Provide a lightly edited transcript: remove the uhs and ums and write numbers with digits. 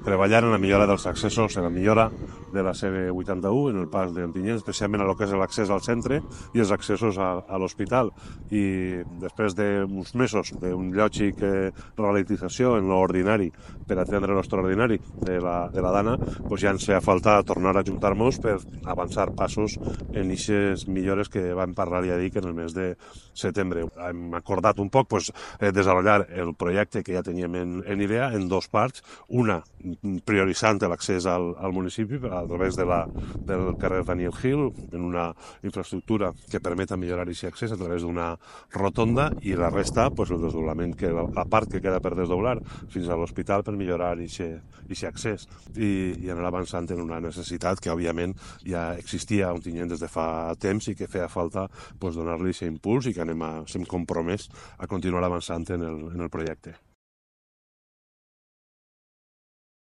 treballar en la millora dels accessos, en la millora de la CV81, en el pas d'Ontinyent, especialment a lo que és l'accés al centre i els accessos a l'hospital. I després d'uns mesos d'un lògic ralentització en l'ordinari per atendre l'extraordinari de la Dana, doncs ja ens feia falta tornar a ajuntar-nos per avançar passos en aquestes millores que vam parlar, ja dic, en el mes de setembre. Hem acordat un poc desenvolupar el projecte que ja teníem en idea en dos parts, una prioritzant l'accés al municipi a través del carrer Daniel Hill, en una infraestructura que permeta millorar aquest accés a través d'una rotonda, i la resta, el desdoblament, la part que queda per desdoblar fins a l'hospital per millorar aquest accés i anar avançant en una necessitat que òbviament ja existia a Ontinyent des de fa temps i que feia falta donar-li aquest impuls, i que estem compromès a continuar avançant en el projecte.